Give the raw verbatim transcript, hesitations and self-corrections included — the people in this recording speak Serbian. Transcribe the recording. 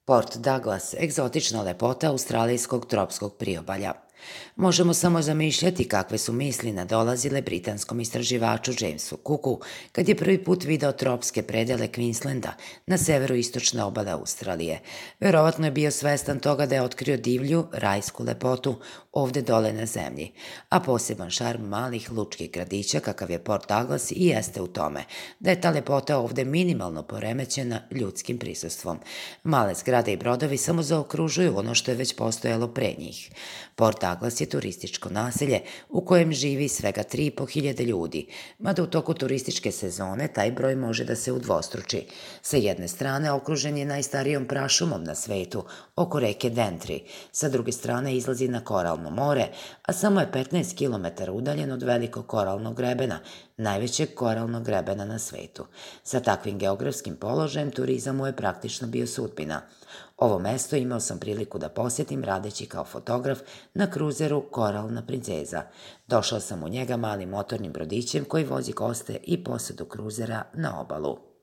Port Douglas, egzotična lepota australijskog tropskog priobalja. Možemo samo zamišljati kakve su misli nadolazile britanskom istraživaču Jamesu Cooku kad je prvi put video tropske predele Queenslanda na severoistočne obale Australije. Verovatno je bio svestan toga da je otkrio divlju, rajsku lepotu ovde dole na zemlji, a poseban šarm malih lučkih gradića kakav je Port Douglas i jeste u tome, da je ta lepota ovde minimalno poremećena ljudskim prisustvom. Male zgrade i brodovi samo zaokružuju ono što je već postojalo pre njih. Port Douglas je turističko naselje u kojem živi svega tri i po hiljade ljudi, mada u toku turističke sezone taj broj može da se udvostruči. Sa jedne strane okružen je najstarijom prašumom na svetu, oko reke Dentry, sa druge strane izlazi na koralno more, a samo je petnaest kilometara udaljen od velikog koralnog grebena, najvećeg koralnog grebena na svetu. Sa takvim geografskim položajem turizam mu je praktično bio sudbina. Ovo mesto imao sam priliku da posjetim radeći kao fotograf na kruzeru Koralna princeza. Došao sam u njega malim motornim brodićem koji vozi goste i posadu kruzera na obalu.